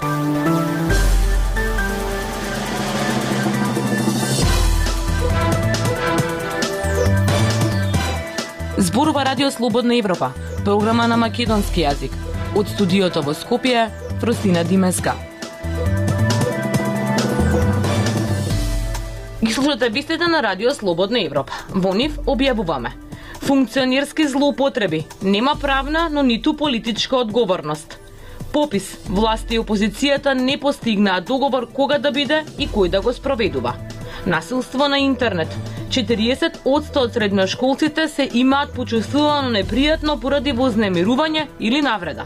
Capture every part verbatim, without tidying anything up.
Зборува Радио Слободна Европа, програма на македонски јазик. Од студиото во Скопје, Фростина Димеска. Ги слушате вестите на Радио Слободна Европа. Во нив објавуваме: функционерски злоупотреби, нема правна, но ниту политичка одговорност. Попис: власти и опозицијата не постигнаа договор кога да биде и кој да го спроведува. Насилство на интернет. четириесет одсто од средношколците се имаат почувствувано непријатно поради вознемирување или навреда.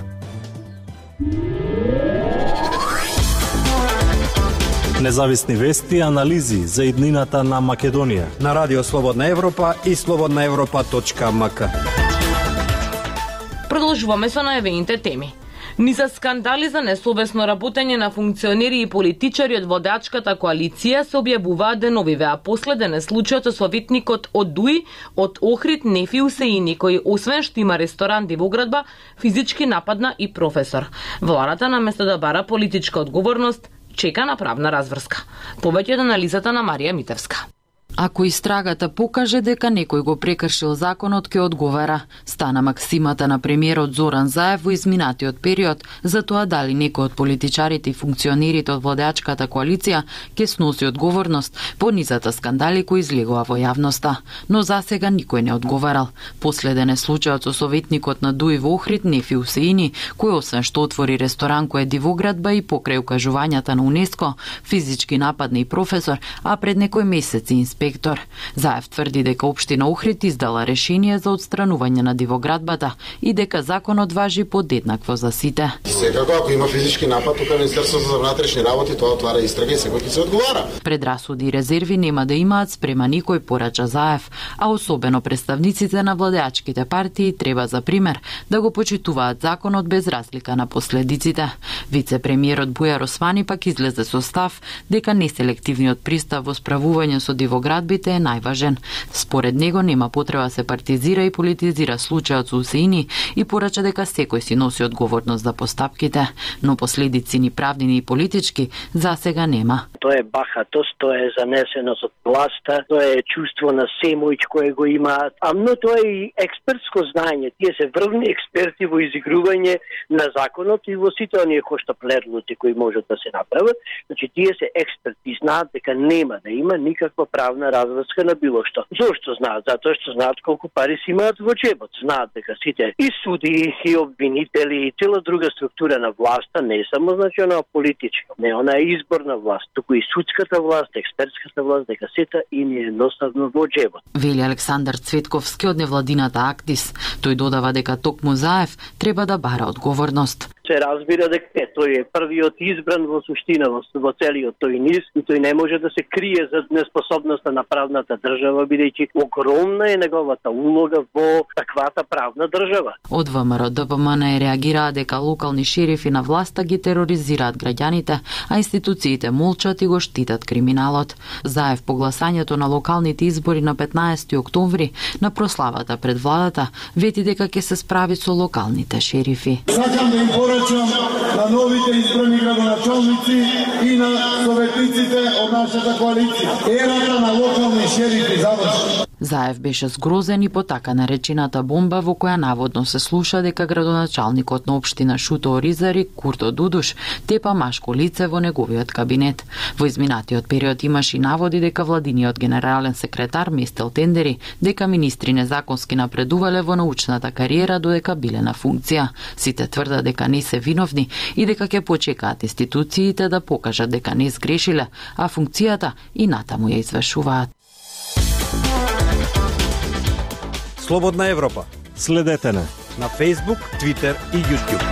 Независни вести и анализи за иднината на Македонија на Радио Слободна Европа и слободна европа точка ем ка. Продолжуваме со најавените теми. Низа скандали за несовесно работење на функционери и политичари од водачката коалиција се објавуваат деновиве, а последен е случајот со советникот од ДУИ од Охрид Нефи Усеини, кој освен што има ресторант и во градба, физички нападна и професор. Владата наместо да бара политичка одговорност, чека на правна разврска. Повеќе од анализата на Марија Митевска. Ако истрагата покаже дека некој го прекршил законот, ќе одговара. Стана максимата на премиерот Зоран Заев во изминатиот период за тоа дали некој од политичарите и функционерите од владеачката коалиција ќе сноси одговорност по низата скандали кои излегува во јавноста. Но засега никој не одговарал. Последен е случајот со советникот на ДУИ во Охрид Нефи Усеини, кој освен што отвори ресторан кој е дивоградба и покрај укажувањата на УНЕСКО, физички нападна и професор, а пред некој месеци инспектор. Заев тврди дека општина Охрид издала решение за отстранување на дивоградбата и дека законот важи подеднакво за сите. Секако ако има физички напад, тука Министерството за внатрешни работи тоа отвара истрага и секој ќе се одговара. Предрасуди и резерви нема да имаат спрема никој, порача Заев, а особено представниците на владеачките партии треба за пример да го почитуваат законот без разлика на последиците. Вице-премиерот Бујар Османи пак излезе со став дека неселективниот пристап во справување со дивоградбите е најважен. Според него нема потреба се партизира и политизира случајот со Усеини и порача дека секој си носи одговорност за постапките, но последици ни правни ни политички засега нема. Тоа е бахатост, тоа е занесеност од власта, тоа е чувство на семојч кое го имаат, а но тоа е и експертско знаење. Тие се врвни експерти во изигрување на законот и во сите оние коштопледлоци кои можат да се направат. Значи тие се експерти, знаат дека нема да има никаква правна разврска на било што. Зошто знаат? Затоа што знаат колку пари си имаат во џебот. Знаат дека сите и суди, и обвинители, и цела друга структура на власта не е само значи она политичка, не она е изборна власт, туку и судската власт, експертската власт, дека сета им е едноставно во џебот. Вели Александар Цветковски од невладината Актис. Тој додава дека токму Заев треба да бара одговорност. Се разбира дека тој е првиот избран во суштина во, во целиот тој низ и тој не може да се крие за неспособноста на правната држава, бидејќи огромна е неговата улога во таквата правна држава. Од ВМРО ДПМН реагираа дека локални шерифи на власта ги тероризираат граѓаните, а институциите молчат и го штитат криминалот. Заев по гласањето на локалните избори на петнаесети октомври на прославата пред владата вети дека ќе се справи со локалните шерифи. Сакам да им порачам на новите избрани градоначалници и на советниците од нашата коалиција. Ерата на локални шерифи заврши. Заев беше згрозен и по така наречената бомба во која наводно се слуша дека градоначалникот на општина Шуто Оризари, Курто Дудуш, тепа машко лице во неговиот кабинет. Во изминатиот период имаше и наводи дека владиниот генерален секретар местел тендери, дека министри незаконски напредувале во научната кариера додека биле на функција. Сите тврдат дека не се виновни и дека ќе почекаат институциите да покажат дека не сгрешиле, а функцијата и натаму ја извршуваат. Слободна Европа. Следете не на Facebook, Twitter и YouTube.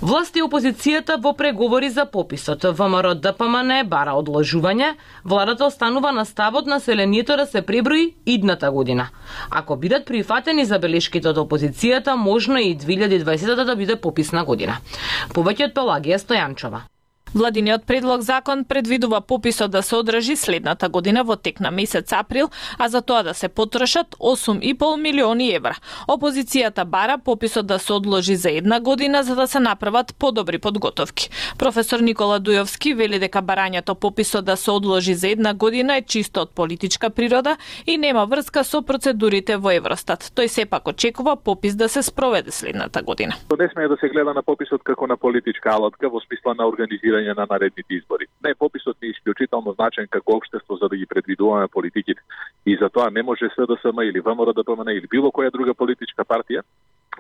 Власти и опозицијата во преговори за пописот. ВМРО ДПМН бара одложување, владата останува на ставот населението да се преброи идната година. Ако бидат прифатени забелешките од опозицијата, можно и две илјади и дваесета да биде пописна година. Повеќе од Пелагија Стојанчова. Владиниот предлог закон предвидува пописот да се одржи следната година во тек на месец април, а за тоа да се потрошат осум и пол милиони евра. Опозицијата бара пописот да се одложи за една година за да се направат подобри подготовки. Професор Никола Дујовски вели дека барањето пописот да се одложи за една година е чисто од политичка природа и нема врска со процедурите во Евростат. Тој сепак очекува попис да се спроведе следната година. Не смее да се гледа на пописот како на политичка алатка во смисла на организирање на наредните избори. Не, пописот е исклучително значен како општество за да ги предвидуваме политиките. И затоа не може СДСМ или ВМРО-ДПМН или било која друга политичка партија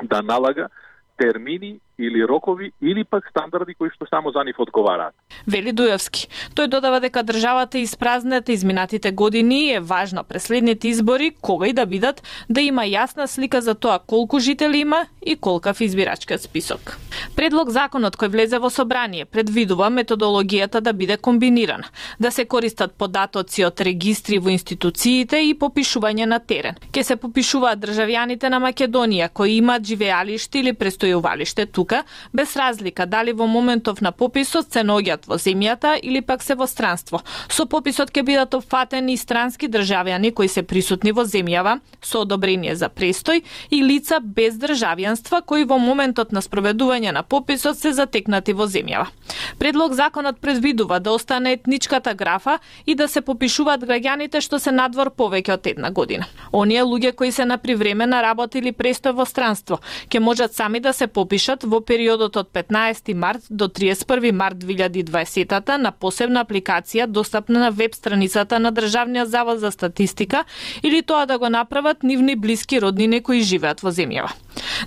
да налага термини или рокови или пак стандарди кои што само за нив одговараат. Вели Дујовски. Тој додава дека државата испразнета изминатите години е важно пред следните избори, кога и да бидат, да има јасна слика за тоа колку жители има и колкав избирачкиот список. Предлог законот кој влезе во собрание предвидува методологијата да биде комбинирана, да се користат податоци од регистри во институциите и попишување на терен. Ке се попишуваат државјаните на Македонија кои имаат живеалиште или престојувалиште тука, без разлика дали во моментов на пописот се наоѓаат во земјата или пак се во странство. Со пописот ќе бидат опфатени и странски државјани кои се присутни во земјава со одобрение за престој и лица без државјанства кои во моментот на спроведување на пописот се затекнати во земјава. Предлог законот предвидува да остане етничката графа и да се попишуваат граѓаните што се надвор повеќе од една година. Оние луѓе кои се на привремена работа или престој во странство ќе можат сами да се попишат во периодот од петнаесети март до триесет и први март две илјади и дваесета на посебна апликација достапна на веб страницата на Државниот завод за статистика или тоа да го направат нивни блиски роднини кои живеат во земјава.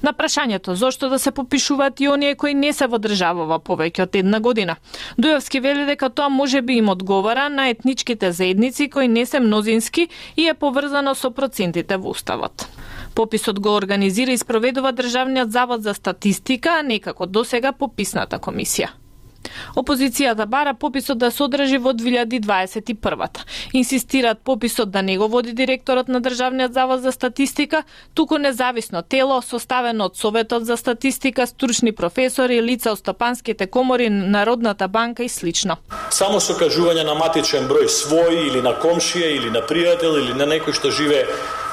На прашањето зошто да се попишуваат и оние кои не се во државава повеќе од една година, Дујовски вели дека тоа може би им одговара на етничките заедници кои не се мнозински и е поврзано со процентите во уставот. Пописот го организира и спроведува Државниот завод за статистика, а не како досега пописната комисија. Опозицијата бара пописот да се одржи во две илјади дваесет и прва. Инсистираат пописот да не го води директорот на Државниот завод за статистика, туку независно тело составено од Советот за статистика, стручни професори, лица од стопанските комори, Народната банка и слично. Само со кажување на матичен број свој или на комшија или на пријател или на некој што живее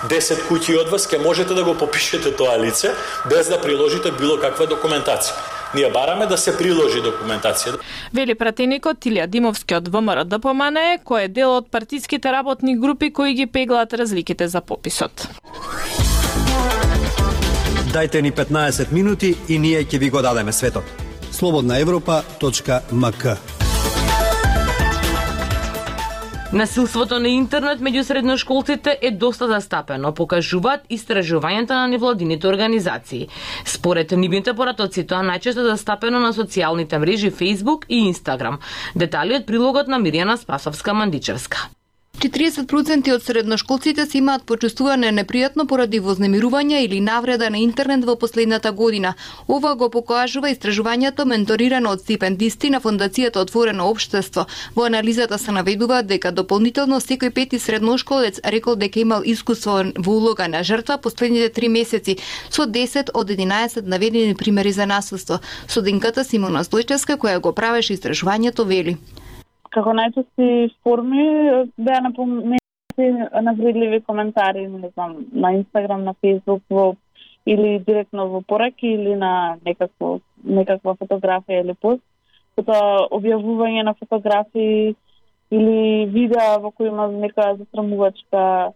десет куќи од вас, ке можете да го попишете тоа лице без да приложите било каква документација. Ние бараме да се приложи документација. Вели пратеникот Илија Димовски од ВМРО-ДПМН, кој е дел од партиските работни групи кои ги пеглаат разликите за пописот. Дајте ни петнаесет минути и ние ќе ви го дадеме светот. слободна европа точка ем ка. Насилството на интернет меѓу средношколците е доста застапено, покажуваат истражувањата на невладините организации. Според нивните поратоци, тоа најчесто застапено на социјалните мрежи Facebook и Instagram. Детали од прилогот на Мирјана Спасовска-Мандичевска. четириесет проценти од средношколците се имаат почувствуване непријатно поради вознемирување или навреда на интернет во последната година. Ова го покажува истражувањето менторирано од стипендисти на Фондацијата Отворено општество. Во анализата се наведува дека дополнително секој пети средношколец рекол дека имал искуство во улога на жртва последните три месеци, со десет од единаесет наведени примери за насилство. Студентката Симона Стојчевска, која го правеше истражувањето, вели: Како најчести форми беа напоменати навредливи коментари, не знам, на Инстаграм, на Фейсбук, во, или директно во пораки или на некакво, некаква фотографија или пост. Потоа објавување на фотографии или видеа во кои има нека засрамувачка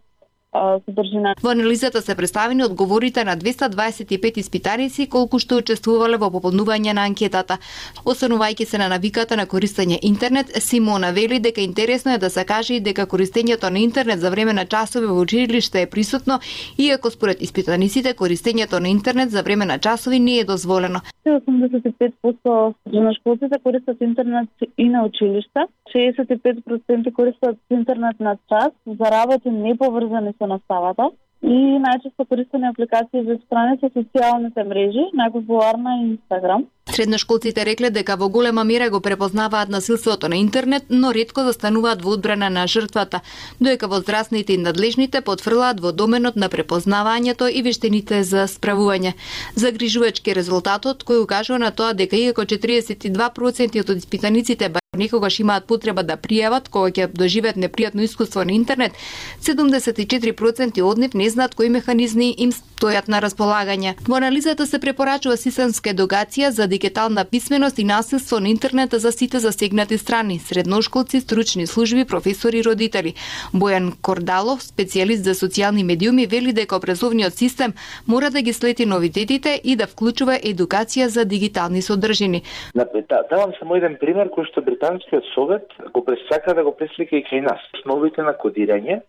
содржина. Во анализата се представени одговорите на двеста дваесет и пет испитаници колку што учествувале во пополнување на анкетата. Останувајќи се на навиката на користење интернет, Симона вели дека интересно е да се каже и дека користењето на интернет за време на часови во училиште е присутно, иако според испитаниците користењето на интернет за време на часови не е дозволено. осемдесет и пет проценти средношколците користат интернет и на училиште, шеесет и пет проценти користат интернет на час за работи неповрзани со наставата, И најчесто користени апликации за страни се социјалните мрежи, најпопуларна е Инстаграм. Средношколците рекле дека во голема мера го препознаваат насилството на интернет, но ретко застануваат во одбрана на жртвата, додека возрастните и надлежните потврлаат во доменот на препознавањето и вештините за справување. Загрижувачки резултатот кој укажува на тоа дека иако четиридесет и два проценти од испитаниците некогаш имаат потреба да пријават кога ќе доживеат непријатно искуство на интернет, седумдесет и четири проценти од нив не знаат кои механизми им стојат на располагање. Во анализата се препорачува системска едукација за дигитална писменост и насилство на интернет за сите засегнати страни, средношколци, стручни служби, професори и родители. Бојан Кордалов, специјалист за социјални медиуми, вели дека образовниот систем мора да ги следи новитетите и да вклучува едукација за дигитални содржини. Давам само еден пример кој што Британскиот совет го пресака да го преслика и кај нас. Основите на кодирање,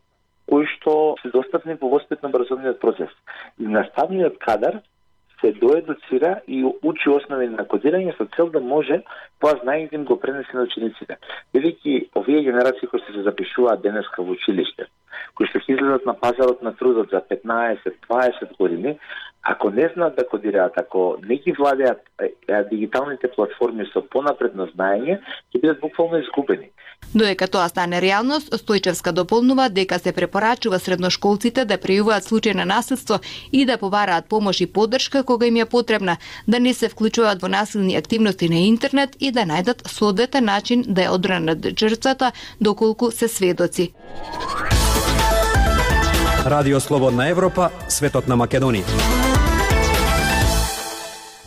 кои што се достапни во воспитно-образовниот процес. И наставниот кадар се доедуцира и учи основи на кодирање со цел да може тоа знаење да им го пренесе на учениците. Велики овие генерации кои се запишуваат денеска во училиште, кои што ќе излезат на пазарот на трудот за петнаесет дваесет години, ако не знаат да кодираат, ако не ги владеат дигиталните платформи со понапредно знаење, ќе бидат буквално изгубени. Додека тоа стане реалност, Стојчевска дополнува дека се препорачува средношколците да пријавуваат случаи на насилство и да побараат помош и поддршка кога им е потребна, да не се вклучуваат во насилни активности на интернет и да најдат соодветен начин да ја одбранат жртвата доколку се сведоци. Радио Слободна Европа, светот на Македонија.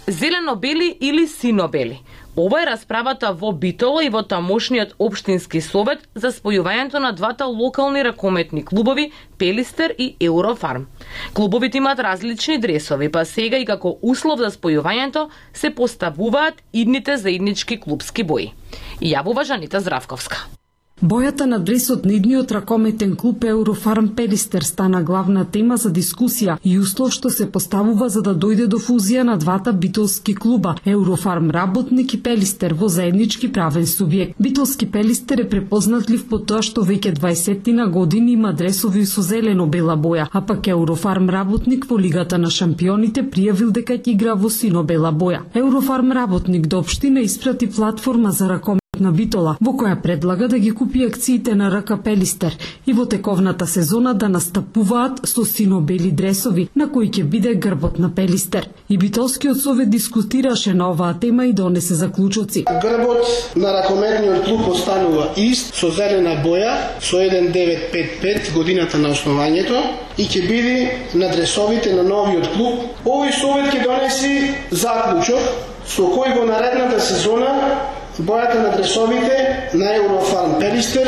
Зелено-бели или сино-бели? Ова е расправата во Битоло и во тамошниот општински совет за спојувањето на двата локални ракометни клубови Пелистер и Еврофарм. Клубовите имаат различни дресови, па сега и како услов за спојувањето се поставуваат идните заеднички клубски бои. Јавува Жанита Здравковска. Бојата на дресот на идниот ракометен клуб Еврофарм Пелистер стана главна тема за дискусија и услов што се поставува за да дојде до фузија на двата битолски клуба Еврофарм Работник и Пелистер во заеднички правен субјект. Битолски Пелистер е препознатлив по тоа што веќе дваесетина години има дресови со зелено-бела боја, а пак Еврофарм Работник во Лигата на шампионите пријавил дека ќе игра во сино-бела боја. Еврофарм Работник до општина испрати платформа за ракомет на Битола, во која предлага да ги купи акциите на РК Пелистер и во тековната сезона да настапуваат со сино-бели дресови, на кои ќе биде грбот на Пелистер. И Битолскиот совет дискутираше на оваа тема и донесе заклучоци. Грбот на ракометниот клуб останува ист, со зелена боја, со еден девет пет пет годината на основањето и ќе биде на дресовите на новиот клуб. Овој совет ќе донеси заклучок со кој во наредната сезона бојата на дресовите на Еврофарм Пелистер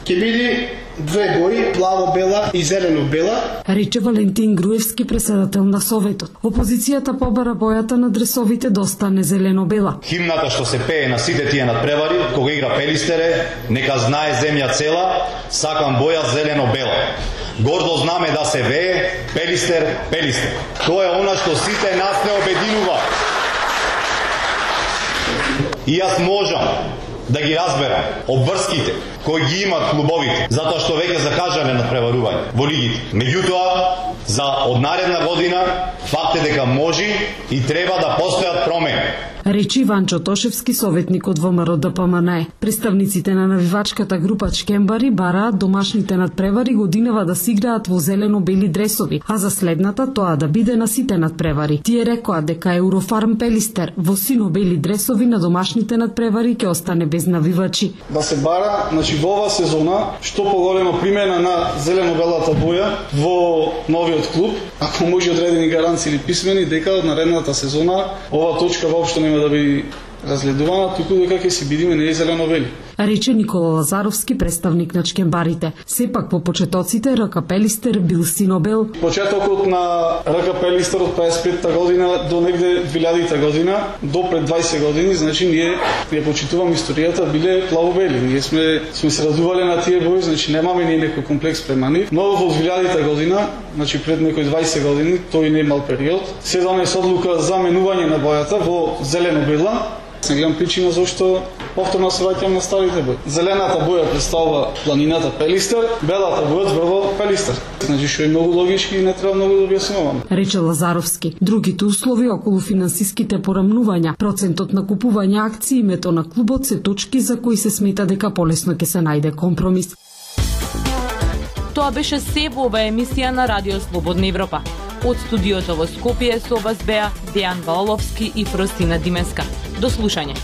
ќе биде две бои, плаво-бела и зелено-бела. Рече Валентин Груевски, председател на советот. Опозицијата побара бојата на дресовите да остане зелено-бела. Химната што се пее на сите тие надпревари, кога игра Пелистере, нека знае земја цела, сакам боја зелено-бела. Гордо знаме да се вее Пелистер, Пелистер. Тоа е она што сите нас не обединува. И јас можам да ги разберам обврските кои ги имат клубовите, затоа што веќе закажале на преварување во лигите. Меѓутоа, за од наредна година факт е дека може и треба да постојат промени. Речи Иванчо Тошевски, советник од ВМРО Д П М Н Е. Представниците на навивачката група Чкембари бараат домашните надпревари годинава да се играат во зелено-бели дресови, а за следната тоа да биде на сите надпревари. Тие рекоа дека Еврофарм Пелистер во сино-бели дресови на домашните надпревари ќе остане без навивачи. Да се бара, значи во оваа сезона што поголема примена на зелено-белата боја во новиот клуб, ако може одредени гаранции или писмени дека од наредната сезона оваа точка воопшто нема да би разгледувана, туку дека ќе си бидиме не зелено-бели. Рече Никола Лазаровски, представник на Чкембарите. Сепак по почетоците РК Пелистер бил сино-бел. Почетокот на РК Пелистер од паесет и петта година до негде две илјадите година, до пред дваесет години, значи ние ја почитувам историјата, биле плаво-бели. Ние сме сме се радувале на тие бои, значи немаме ни некој комплекс према нив. Но во две илјадите година, значи пред некои дваесет години, тој не имал период, се донесе одлука за менување на бојата во зелено-бела Не гледам причина зашто повторно се враќам на старите бои. Зелената боја представува планината Пелистер, белата боја зборува Пелистер. Значи што е многу логички и не треба многу да објаснуваме. Рече Лазаровски. Другите услови околу финансиските порамнувања, процентот на купување акции, името на клубот се точки за кои се смета дека полесно ќе се најде компромис. Тоа беше се во оваа емисија на Радио Слободна Европа. Од студиото во Скопје со вас беа Дејан Ваоловски и Фростина Димеска. До слушање.